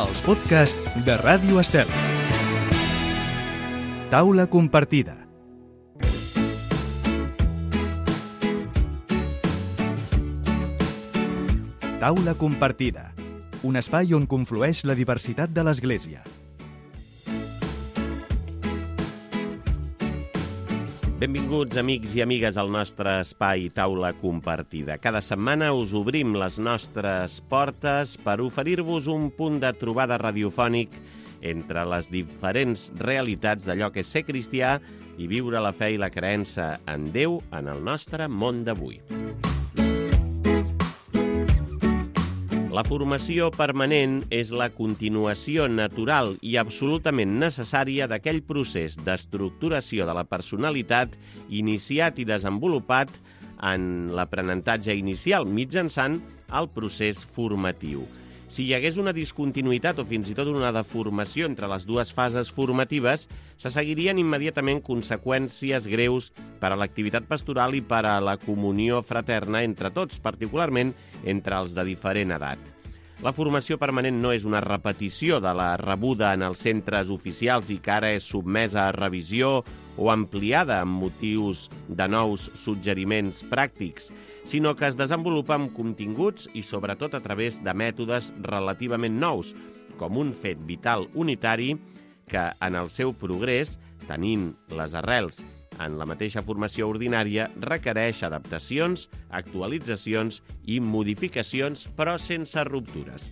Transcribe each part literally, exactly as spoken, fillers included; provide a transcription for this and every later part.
Els podcasts de Ràdio Estel. Taula compartida. Taula compartida. Un espai on conflueix la diversitat de l'Església. Benvinguts, amics i amigues, al nostre espai Taula Compartida. Cada setmana us obrim les nostres portes per oferir-vos un punt de trobada radiofònic entre les diferents realitats d'allò que és ser cristià i viure la fe i la creença en Déu en el nostre món d'avui. La formació permanent és la continuació natural i absolutament necessària d'aquell procés d'estructuració de la personalitat iniciat i desenvolupat en l'aprenentatge inicial mitjançant el procés formatiu. Si hi hagués una discontinuïtat o fins i tot una deformació entre les dues fases formatives, se seguirien immediatament conseqüències greus per a l'activitat pastoral i per a la comunió fraterna entre tots, particularment entre els de diferent edat. La formació permanent no és una repetició de la rebuda en els centres oficials i que ara és sotmesa a revisió o ampliada amb motius de nous suggeriments pràctics, sinó que es desenvolupa amb continguts i sobretot a través de mètodes relativament nous, com un fet vital unitari que en el seu progrés, tenint les arrels en la mateixa formació ordinària, requereix adaptacions, actualitzacions i modificacions, però sense ruptures.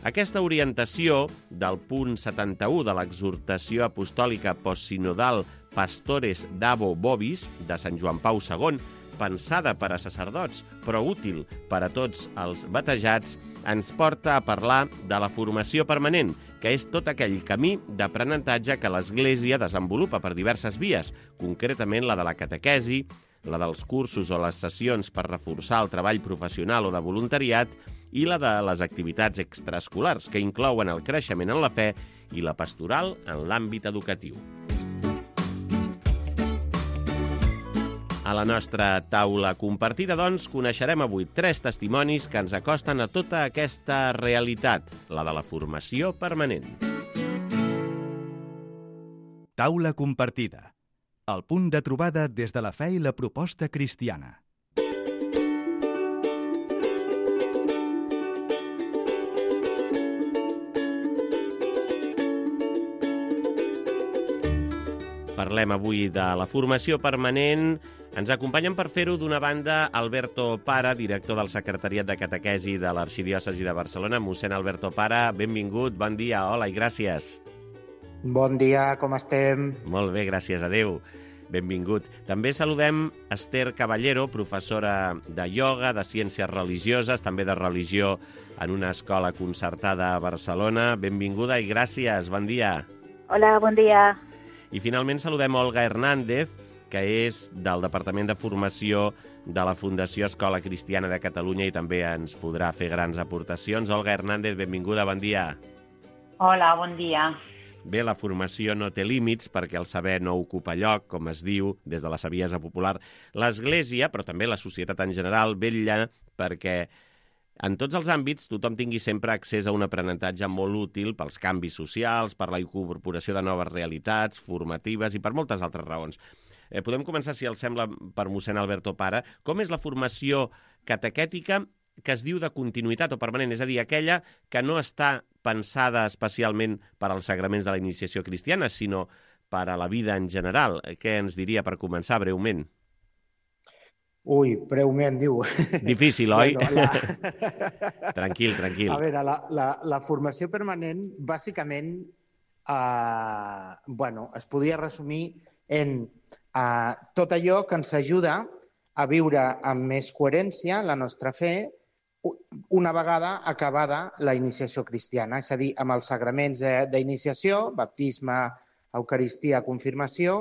Aquesta orientació del punt setanta-u de l'exhortació apostòlica postsinodal Pastores Dabo Vobis de Sant Joan Pau segon, pensada per a sacerdots, però útil per a tots els batejats, ens porta a parlar de la formació permanent, que és tot aquell camí d'aprenentatge que l'Església desenvolupa per diverses vies, concretament la de la catequesi, la dels cursos o les sessions per reforçar el treball professional o de voluntariat i la de les activitats extraescolars, que inclouen el creixement en la fe i la pastoral en l'àmbit educatiu. A la nostra taula compartida, doncs, coneixerem avui tres testimonis que ens acosten a tota aquesta realitat, la de la formació permanent. Taula compartida. El punt de trobada des de la fe i la proposta cristiana. Parlem avui de la formació permanent. Ens acompanyen per fer-ho, d'una banda, Alberto Para, director del Secretariat de Catequesi de l'Arxidiòcesi de Barcelona. Mossèn Alberto Para, benvingut, bon dia, hola i gràcies. Bon dia, com estem? Molt bé, gràcies a Déu. Benvingut. També saludem Esther Caballero, professora de ioga, de ciències religioses, també de religió en una escola concertada a Barcelona. Benvinguda i gràcies, bon dia. Hola, bon dia. I finalment saludem Olga Hernández, que és del Departament de Formació de la Fundació Escola Cristiana de Catalunya i també ens podrà fer grans aportacions. Olga Hernández, benvinguda, bon dia. Hola, bon dia. Bé, la formació no té límits perquè el saber no ocupa lloc, com es diu des de la saviesa popular. L'Església, però també la societat en general, vetlla perquè en tots els àmbits tothom tingui sempre accés a un aprenentatge molt útil pels canvis socials, per la incorporació de noves realitats formatives i per moltes altres raons. Eh, podem començar, si els sembla, per mossèn Alberto Para. Com és la formació catequètica que es diu de continuïtat o permanent? És a dir, aquella que no està pensada especialment per als sagraments de la iniciació cristiana, sinó per a la vida en general. Què ens diria per començar, breument? Ui, breument, diu. Difícil, oi? Bueno, la... Tranquil, tranquil. A veure, la, la, la formació permanent, bàsicament, eh, bueno, es podria resumir en eh, tot allò que ens ajuda a viure amb més coherència la nostra fe una vegada acabada la iniciació cristiana, és a dir, amb els sagraments d'iniciació, baptisme, eucaristia, confirmació,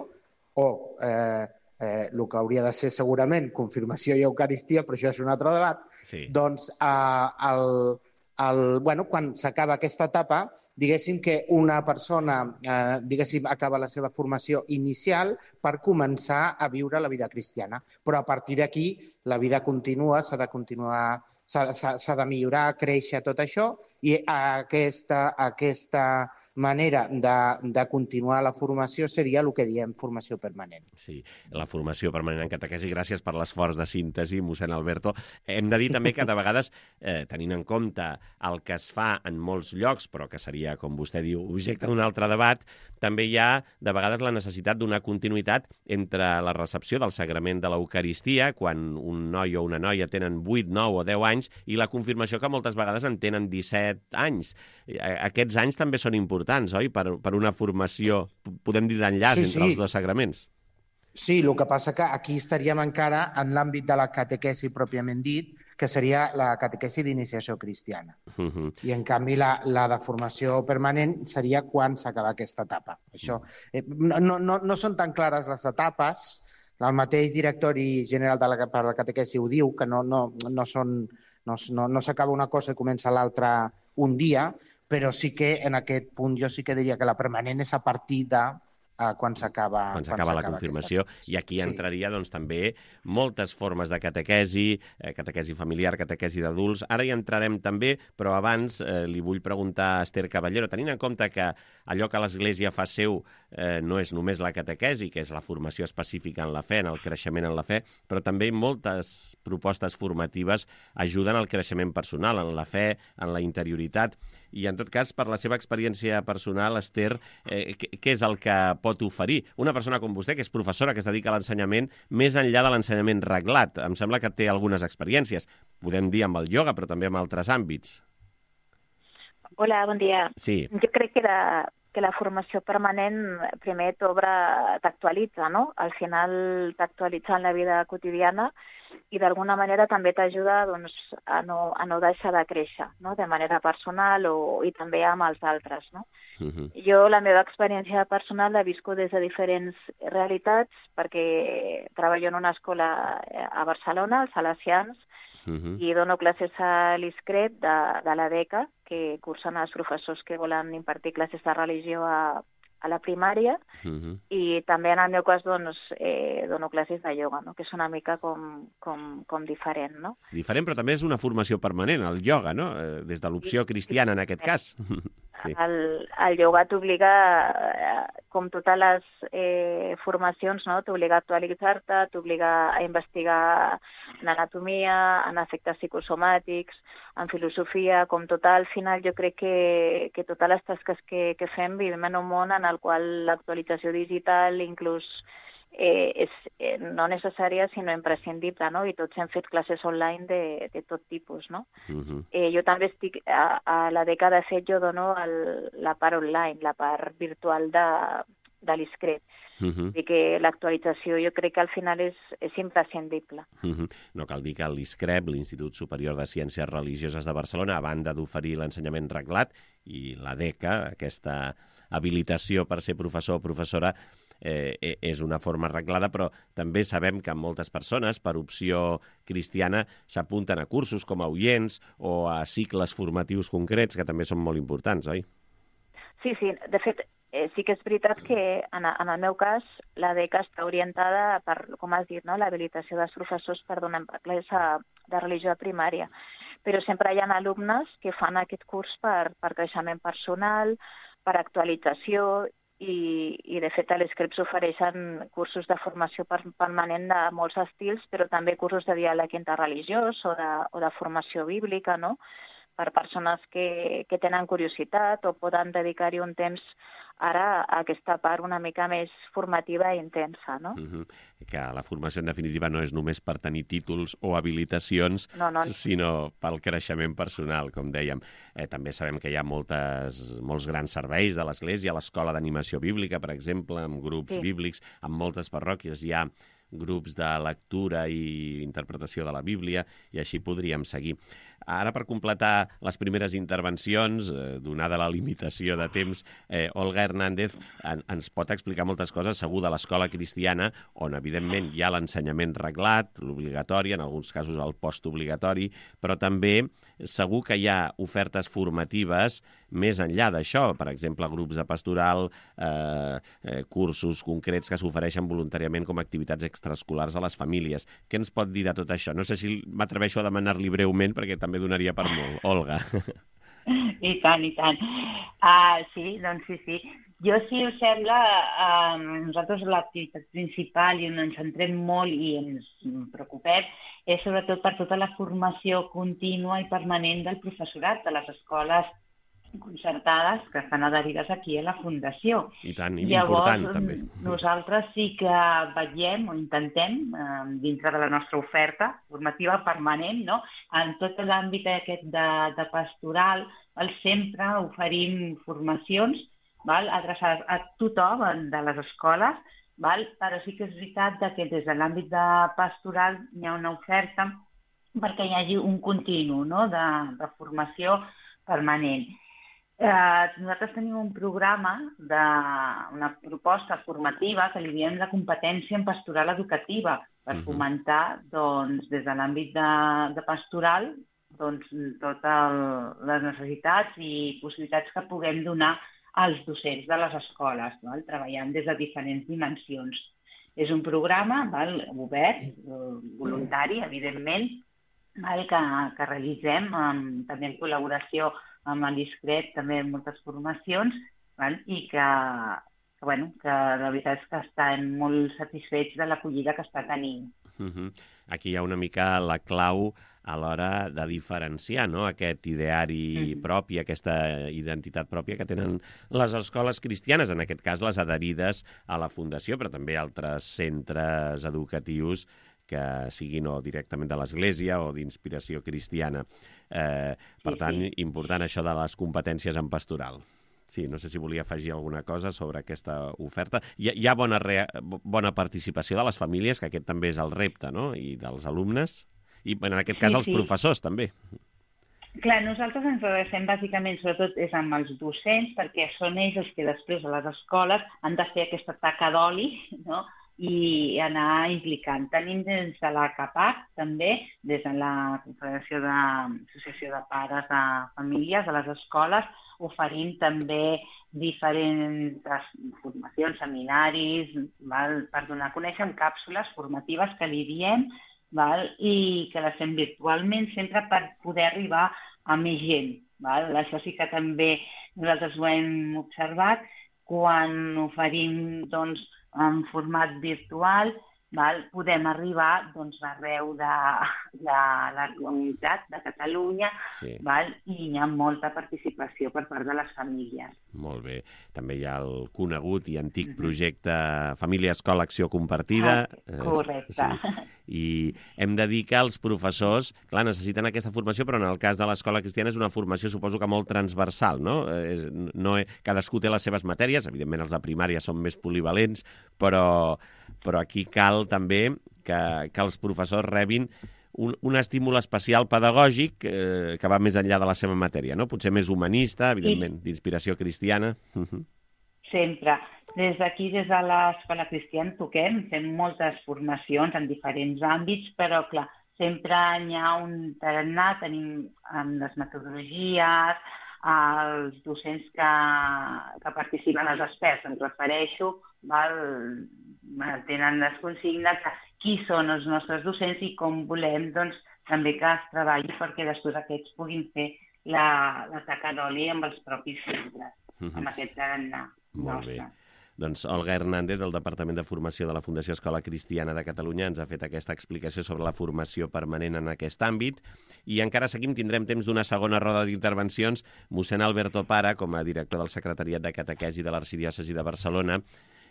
o eh, eh, el que hauria de ser segurament confirmació i eucaristia, però això és un altre debat, sí. Doncs eh, el, el, bueno, quan s'acaba aquesta etapa, diguéssim que una persona eh, diguéssim, acaba la seva formació inicial per començar a viure la vida cristiana. Però a partir d'aquí la vida continua, s'ha de continuar s'ha de millorar, créixer, tot això, i aquesta, aquesta manera de, de continuar la formació seria el que diem formació permanent. Sí, la formació permanent en catequesi. Gràcies per l'esforç de síntesi, mossèn Alberto. Hem de dir també que de vegades, eh, tenint en compte el que es fa en molts llocs, però que seria, com vostè diu, objecte d'un altre debat, també hi ha de vegades la necessitat d'una continuïtat entre la recepció del sagrament de l'Eucaristia, quan un noi o una noia tenen vuit, nou o deu anys, i la confirmació que moltes vegades en tenen disset anys. Aquests anys també són importants, oi? Per, per una formació, podem dir, d'enllaç sí, entre sí. els dos sagraments. Sí, el que passa que aquí estaríem encara en l'àmbit de la catequesi pròpiament dit, que seria la catequesi d'iniciació cristiana. Uh -huh. I, en canvi, la, la de formació permanent seria quan s'acaba aquesta etapa. Això, eh, no, no, no són tan clares les etapes. El mateix directori general de la, per la catequesi ho diu, que no, no, no, són, no, no, no s'acaba una cosa i comença l'altra un dia, però sí que en aquest punt jo sí que diria que la permanent és a partir de uh, quan s'acaba quan s'acaba la confirmació. Aquesta... I aquí sí. entraria doncs, també moltes formes de catequesi, eh, catequesi familiar, catequesi d'adults. Ara hi entrarem també, però abans eh, li vull preguntar a Esther Caballero, tenint en compte que allò que l'Església fa seu eh, no és només la catequesi, que és la formació específica en la fe, en el creixement en la fe, però també moltes propostes formatives ajuden al creixement personal, en la fe, en la interioritat. I, en tot cas, per la seva experiència personal, Esther, eh, què és el que pot oferir una persona com vostè, que és professora, que es dedica a l'ensenyament, més enllà de l'ensenyament reglat? Em sembla que té algunes experiències, podem dir amb el ioga, però també amb altres àmbits. Hola, bon dia. Sí. Jo crec que la, que la formació permanent primer t'obre, t'actualitza, no? Al final t'actualitza en la vida quotidiana i d'alguna manera també t'ajuda doncs, a, no, a no deixar de créixer, no? De manera personal o, i també amb els altres. No? Uh-huh. Jo la meva experiència personal la visco des de diferents realitats perquè treballo en una escola a Barcelona, als Salesians, uh-huh. i dono classes a l'ISCRET de, de la beca, que cursen els professors que volen impartir classes de religió a a la primària, uh-huh. i també en el meu cas doncs, eh, dono classes de ioga, no? Que és una mica com, com, com diferent. No? Diferent, però també és una formació permanent, el ioga, no? Eh, des de l'opció cristiana, en aquest cas. Sí. El, el ioga t'obliga, eh, com totes les eh, formacions, no? T'obliga a actualitzar-te, t'obliga a investigar en anatomia, en efectes psicosomàtics, en filosofia, com tot, al final jo crec que, que totes les tasques que, que fem vivim en un món en el qual l'actualització digital inclús eh, és eh, no necessària sinó imprescindible, no? I tots hem fet classes online de, de tot tipus, no? Uh-huh. eh, jo també estic, a, a la dècada de fet jo dono el, la part online, la part virtual de, de l'ISCRET. Uh-huh. I que l'actualització jo crec que al final és, és imprescindible. Uh-huh. No cal dir que l'ISCREP, l'Institut Superior de Ciències Religioses de Barcelona, a banda d'oferir l'ensenyament reglat, i la DECA, aquesta habilitació per ser professor o professora, eh, és una forma reglada, però també sabem que moltes persones, per opció cristiana, s'apunten a cursos com a oients o a cicles formatius concrets, que també són molt importants, oi? Sí, sí. De fet, Eh, sí que és veritat que en, en el meu cas la beca està orientada per, com has dit, no? L'habilitació dels professors per donar classes de religió a primària. Però sempre hi ha alumnes que fan aquest curs per, per creixement personal, per actualització i, i de fet a l'ISCREP s'ofereixen cursos de formació permanent de molts estils, però també cursos de diàleg interreligiós o de, o de formació bíblica, no? Per persones que, que tenen curiositat o poden dedicar-hi un temps ara a aquesta part una mica més formativa i intensa, no? Uh-huh. Que la formació, en definitiva, no és només per tenir títols o habilitacions, no, no. sinó pel creixement personal, com dèiem. Eh, també sabem que hi ha moltes, molts grans serveis de l'Església, l'Escola d'Animació Bíblica, per exemple, amb grups sí. bíblics, en moltes parròquies hi ha grups de lectura i interpretació de la Bíblia, i així podríem seguir. ara per completar les primeres intervencions, eh, donada la limitació de temps, eh, Olga Hernández en, ens pot explicar moltes coses, segur, de l'escola cristiana, on evidentment hi ha l'ensenyament reglat, l'obligatori, en alguns casos el postobligatori, però també segur que hi ha ofertes formatives més enllà d'això, per exemple, grups de pastoral, eh, eh, cursos concrets que s'ofereixen voluntàriament com a activitats extraescolars a les famílies. Què ens pot dir de tot això? No sé si m'atreveixo a demanar-li breument, perquè també donaria per molt. Olga. I tant, i tant. Uh, sí, doncs sí, sí. Jo, si us sembla, uh, nosaltres l'activitat principal i on ens centrem molt i ens preocupem és sobretot per tota la formació contínua i permanent del professorat de les escoles concertades que estan adherides aquí a la Fundació. I tant, i Llavors, important també. Nosaltres sí que vetllem o intentem, eh, dintre de la nostra oferta formativa permanent, no? En tot l'àmbit aquest de, de pastoral, val? Sempre oferim formacions, val? Adreçades a tothom de les escoles, val? Però sí que és veritat que des de l'àmbit de pastoral hi ha una oferta perquè hi hagi un continu, no? de, de formació permanent. Eh, nosaltres tenim un programa, de, una proposta formativa que li diem de competència en pastoral educativa per uh-huh. fomentar doncs, des de l'àmbit de, de pastoral doncs, totes les necessitats i possibilitats que puguem donar als docents de les escoles, val? Treballant des de diferents dimensions. És un programa val? Obert, voluntari, evidentment, val? Que, que realitzem amb, també en col·laboració amb l'Iscret, també en moltes formacions, val? I que, que, bueno, que la veritat és que estan molt satisfets de l'acollida que està tenint. Uh-huh. Aquí hi ha una mica la clau a l'hora de diferenciar, no? Aquest ideari uh-huh. propi, aquesta identitat pròpia que tenen les escoles cristianes, en aquest cas les adherides a la Fundació, però també altres centres educatius que siguin o directament de l'Església o d'inspiració cristiana. Eh, per sí, tant, sí. important això de les competències en pastoral. Sí, no sé si volia afegir alguna cosa sobre aquesta oferta. Hi ha, hi ha bona, rea, bona participació de les famílies, que aquest també és el repte, no?, i dels alumnes, i en aquest cas sí, els sí. professors, també. Clar, nosaltres ens adrecem bàsicament, sobretot, és amb els docents, perquè són ells els que després a les escoles han de fer aquesta taca d'oli, no?, i anar implicant. Tenim des de la CAPAC, també, des de la Confederació d'Associació de Pares de Famílies a les escoles, oferint també diferents formacions, seminaris, val? Per donar a conèixer càpsules formatives que li diem, val? I que les fem virtualment sempre per poder arribar a més gent. Val? Això sí que també nosaltres ho hem observat quan oferim doncs, en format virtual, val? Podem arribar doncs, arreu de, de la comunitat de Catalunya sí. val? I hi ha molta participació per part de les famílies. Molt bé. També hi ha el conegut i antic projecte Família Escola Acció Compartida. Ah, correcte. Sí. I hem de dir que els professors, clar, necessiten aquesta formació, però en el cas de l'escola cristiana és una formació, suposo que molt transversal, no? Eh, no cadascú té les seves matèries, evidentment els de primària són més polivalents, però, però aquí cal també que, que els professors rebin un, un estímul especial pedagògic eh, que va més enllà de la seva matèria, no? Potser més humanista, evidentment, d'inspiració cristiana. Uh-huh. Sempre. Des d'aquí, des de l'Escola Cristiana, toquem, fem moltes formacions en diferents àmbits, però, clar, sempre hi ha un tarannà, tenim amb les metodologies, els docents que, que participen, els experts, em refereixo, val? Tenen les consignes de qui són els nostres docents i com volem doncs, també que es treballi perquè després aquests puguin fer la, la taca d'oli amb els propis centres, uh-huh. amb aquest tarannà. Molt nostre. Bé. Doncs Olga Hernández, del Departament de Formació de la Fundació Escola Cristiana de Catalunya, ens ha fet aquesta explicació sobre la formació permanent en aquest àmbit. I encara seguim, tindrem temps d'una segona roda d'intervencions. Mossèn Alberto Para, com a director del Secretariat de Catequesi de l'Arxidiòcesi de Barcelona,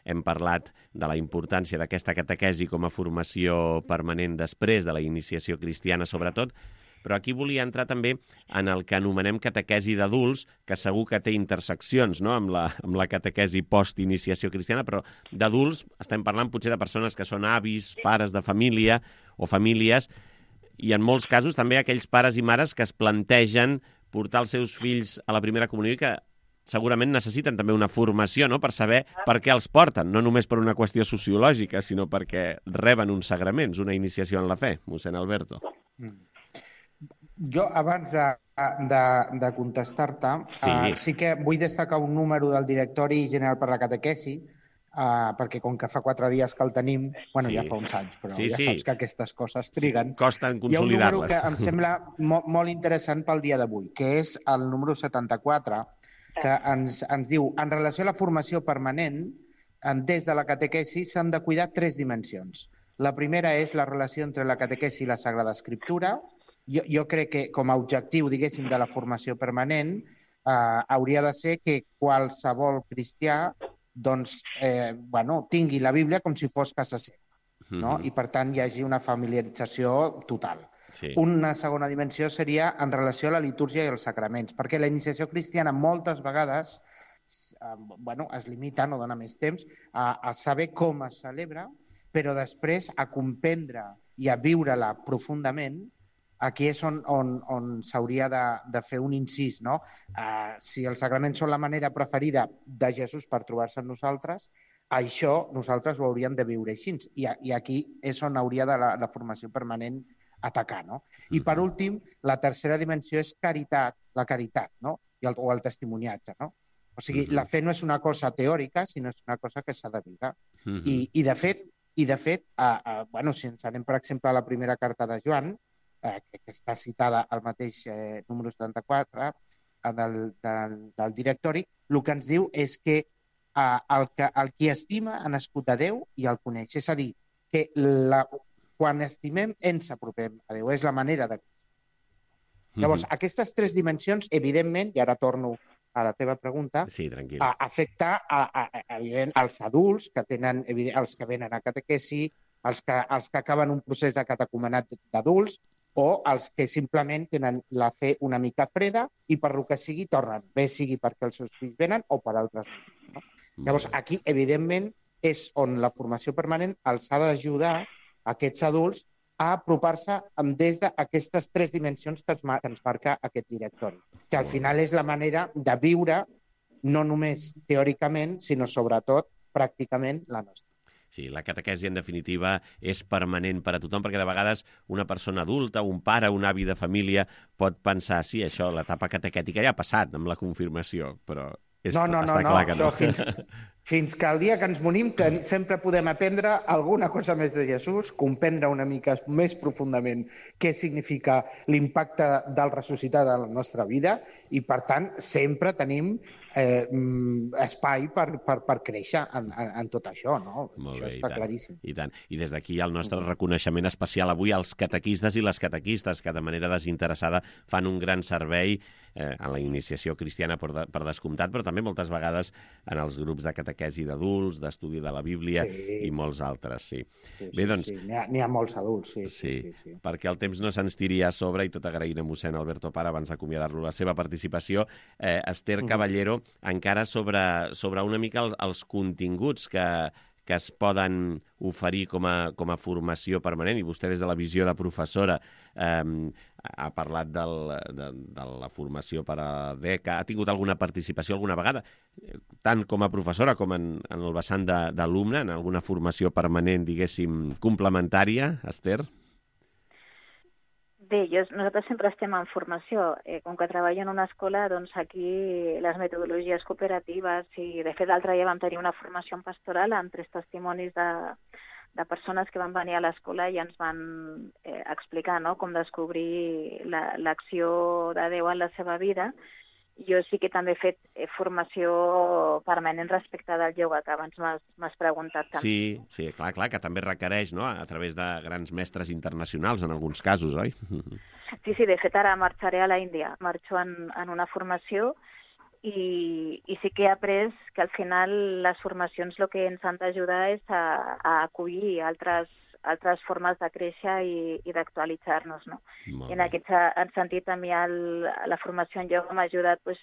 hem parlat de la importància d'aquesta catequesi com a formació permanent després de la iniciació cristiana, sobretot, però aquí volia entrar també en el que anomenem catequesi d'adults, que segur que té interseccions, no?, amb la, amb la catequesi post-iniciació cristiana, però d'adults estem parlant potser de persones que són avis, pares de família o famílies. I en molts casos també aquells pares i mares que es plantegen portar els seus fills a la primera comunió i que segurament necessiten també una formació, no?, per saber per què els porten, no només per una qüestió sociològica, sinó perquè reben uns sagraments, una iniciació en la fe, mossèn Alberto. Jo, abans de, de, de contestar-te, sí. Uh, sí que vull destacar un número del Directori General per la Catequesi, uh, perquè com que fa quatre dies que el tenim, bueno, sí. ja fa uns anys, però sí, ja sí. saps que aquestes coses triguen. Sí, costen consolidar-les. Hi ha un número que em sembla molt, molt interessant pel dia d'avui, que és el número setanta-quatre, que ens, ens diu, en relació a la formació permanent, des de la catequesi s'han de cuidar tres dimensions. La primera és la relació entre la catequesi i la Sagrada Escriptura. Jo, jo crec que com a objectiu, diguéssim, de la formació permanent eh, hauria de ser que qualsevol cristià doncs, eh, bueno, tingui la Bíblia com si fos casa seva, no? Mm-hmm. I per tant hi hagi una familiarització total. Sí. Una segona dimensió seria en relació a la litúrgia i els sacraments, perquè la iniciació cristiana moltes vegades eh, bueno, es limita, no dona més temps, a, a saber com es celebra, però després a comprendre i a viure-la profundament. Aquí és on, on, on s'hauria de, de fer un incís, no? Uh, si els sacraments són la manera preferida de Jesús per trobar-se amb nosaltres, això nosaltres ho hauríem de viure així. I, i aquí és on hauria de la, la formació permanent atacar, no? I per últim, la tercera dimensió és caritat, la caritat, no? I el, o el testimoniatge, no? O sigui, uh-huh. la fe no és una cosa teòrica, sinó és una cosa que s'ha de viure. Uh-huh. I, i de fet, i de fet uh, uh, bueno, si ens anem, per exemple, a la primera carta de Joan, eh, que, que està citada al mateix eh, número setanta-quatre eh, del, del, del directori, el que ens diu és que eh, el, que el qui estima ha nascut a Déu i el coneix. És a dir, que la, quan estimem ens apropem a Déu. És la manera de... Llavors, mm-hmm. aquestes tres dimensions, evidentment, i ara torno a la teva pregunta, sí, tranquil. a afectar a, a, a, evident, als adults que tenen, evident, els que venen a catequesi, els que, els que acaben un procés de catecumenat d'adults o els que simplement tenen la fe una mica freda i per lo que sigui tornen, bé sigui perquè els seus fills venen o per altres motius. No? Llavors, aquí, evidentment, és on la formació permanent els ha d'ajudar a aquests adults a apropar-se des d'aquestes tres dimensions que ens marca aquest directori, que al final és la manera de viure no només teòricament, sinó sobretot pràcticament la nostra. Sí, la catequesi, en definitiva, és permanent per a tothom, perquè de vegades una persona adulta, un pare, un avi de família, pot pensar, sí, això, l'etapa catequètica ja ha passat amb la confirmació, però és, no, no, està no, clar no, que no. Això fins, fins que el dia que ens morim que sempre podem aprendre alguna cosa més de Jesús, comprendre una mica més profundament què significa l'impacte del ressuscitat a la nostra vida i, per tant, sempre tenim eh, espai per, per, per créixer en, en, en tot això, no? Molt això bé, està i tant, claríssim. I tant. I des d'aquí el nostre reconeixement especial avui als catequistes i les catequistes que de manera desinteressada fan un gran servei eh, en la iniciació cristiana per, de, per descomptat, però també moltes vegades en els grups de catequesi d'adults, d'estudi de la Bíblia sí. i molts altres, sí. sí, Bé, sí, doncs, sí. N'hi ha, n'hi ha molts adults, sí, sí, sí, sí, sí. Perquè el temps no se'ns tiri a sobre i tot agraint a mossèn Alberto Pare abans d'acomiadar-lo la seva participació. Eh, Esther uh-huh. Caballero, encara sobre, sobre una mica el, els continguts que, que es poden oferir com a, com a formació permanent, i vostè des de la visió de professora eh, ha parlat del, de, de la formació per a D E C. Ha tingut alguna participació alguna vegada, tant com a professora com en, en el vessant d'alumne, en alguna formació permanent, diguéssim, complementària, Esther? Bé, jo, nosaltres sempre estem en formació. Eh, com que treballo en una escola, doncs aquí les metodologies cooperatives i, de fet, l'altre dia vam tenir una formació en pastoral amb tres testimonis de, de persones que van venir a l'escola i ens van eh, explicar, no?, com descobrir la, l'acció de Déu en la seva vida. Jo sí que també he fet eh, formació permanent respecte del ioga, que abans m'has, m'has preguntat també. Sí, sí, clar, clar, que també requereix, no?, a través de grans mestres internacionals, en alguns casos, oi? Sí, sí, de fet ara marxaré a la Índia, marxo en, en una formació i, i sí que he après que al final les formacions el que ens han d'ajudar és a, a acollir altres altres formes de créixer i, i d'actualitzar-nos, no? I en aquest en sentit, a mi el, la formació en ioga m'ha ajudat pues,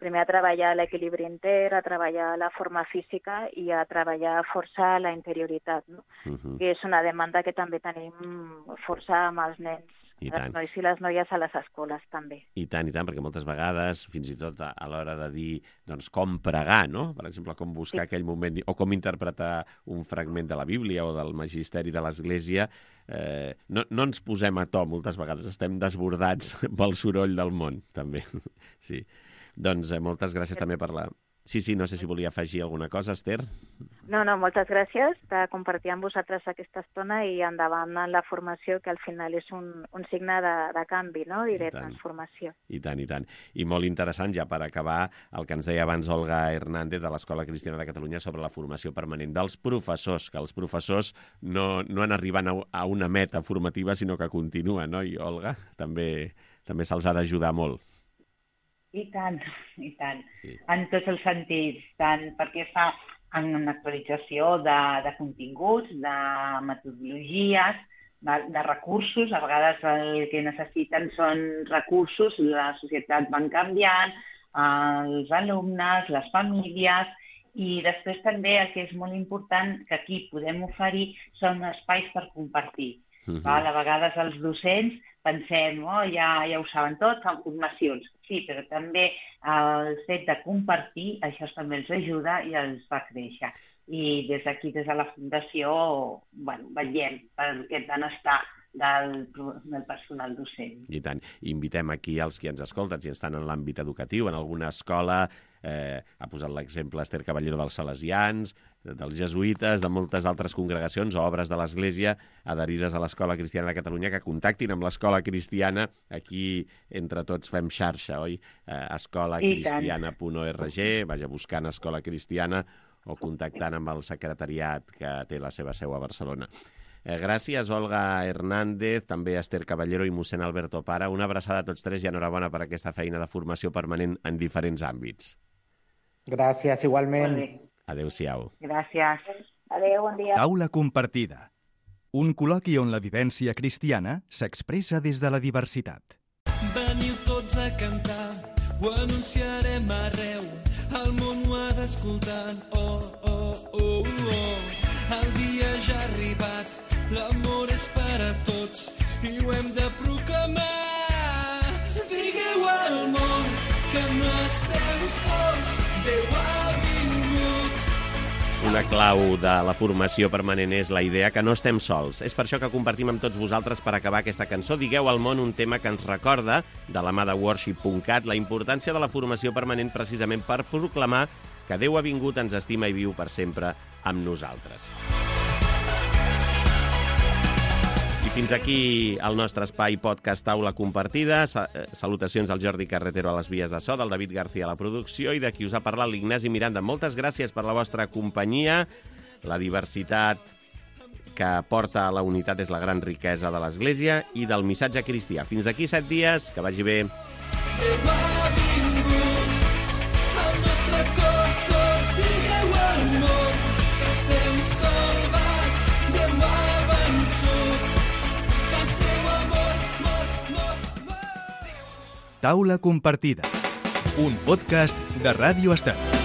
primer a treballar l'equilibri intern, a treballar la forma física i a treballar força la interioritat, no? Uh-huh. Que és una demanda que també tenim força amb els nens I tant. Els nois i les noies a les escoles, també. I tant, i tant, perquè moltes vegades, fins i tot a, a l'hora de dir doncs, com pregar, no? Per exemple, com buscar sí. aquell moment, o com interpretar un fragment de la Bíblia o del magisteri de l'Església, eh, no, no ens posem a to moltes vegades, estem desbordats pel soroll del món, també. Sí. Doncs eh, moltes gràcies sí. també per la... Sí, sí, no sé si volia afegir alguna cosa, Esther. No, no, moltes gràcies de compartir amb vosaltres aquesta estona i endavant en la formació, que al final és un, un signe de, de canvi, no? I de transformació. I tant, i tant. I molt interessant, ja per acabar, el que ens deia abans Olga Hernández de l'Escola Cristiana de Catalunya sobre la formació permanent dels professors, que els professors no, no han arribat a, a una meta formativa, sinó que continuen, no? I Olga, també, també se'ls ha d'ajudar molt. I tant, i tant. Sí. En tots els sentits, tant perquè fa en una actualització de, de continguts, de metodologies, de, de recursos. A vegades el que necessiten són recursos, la societat va canviant, els alumnes, les famílies, i després també el que és molt important que aquí podem oferir són espais per compartir. Uh-huh. Val? A vegades els docents pensem, oh, ja, ja ho saben tot, fan formacions. Sí, però també el fet de compartir, això també els ajuda i els fa créixer. I des d'aquí, des de la Fundació, bueno, vetllem per aquest benestar del, del personal docent. I tant. Invitem aquí els que ens escolten, si estan en l'àmbit educatiu, en alguna escola, eh, ha posat l'exemple Esther Caballero dels Salesians, dels Jesuïtes, de moltes altres congregacions o obres de l'Església adherides a l'Escola Cristiana de Catalunya, que contactin amb l'Escola Cristiana. Aquí, entre tots, fem xarxa, oi? Eh, escola cristiana punt org, vaja buscant Escola Cristiana o contactant amb el secretariat que té la seva seu a Barcelona. Eh, gràcies, Olga Hernández, també Esther Caballero i mossèn Alberto Para. Una abraçada a tots tres i enhorabona per aquesta feina de formació permanent en diferents àmbits. Gràcies, igualment. Adéu-siau. Gràcies. Adéu, bon dia. Taula compartida. Un col·loqui on la vivència cristiana s'expressa des de la diversitat. Veniu tots a cantar, ho anunciarem arreu, el món ho ha d'escoltar. Oh, oh, oh, oh. El dia ja ha arribat, l'amor és per a tots i ho hem de proclamar. Digueu al món que no estem sols, Déu ha vingut. Una clau de la formació permanent és la idea que no estem sols. És per això que compartim amb tots vosaltres per acabar aquesta cançó Digueu al món, un tema que ens recorda, de la mà de worship punt cat, la importància de la formació permanent precisament per proclamar que Déu ha vingut, ens estima i viu per sempre amb nosaltres. I fins aquí el nostre espai podcast Taula Compartida. Salutacions al Jordi Carretero a les vies de so, del David García a la producció i de qui us ha parlat l'Ignasi Miranda. Moltes gràcies per la vostra companyia. La diversitat que porta a la unitat és la gran riquesa de l'Església i del missatge cristià. Fins d'aquí set dies, que vagi bé. Taula compartida, un podcast de Ràdio Estat.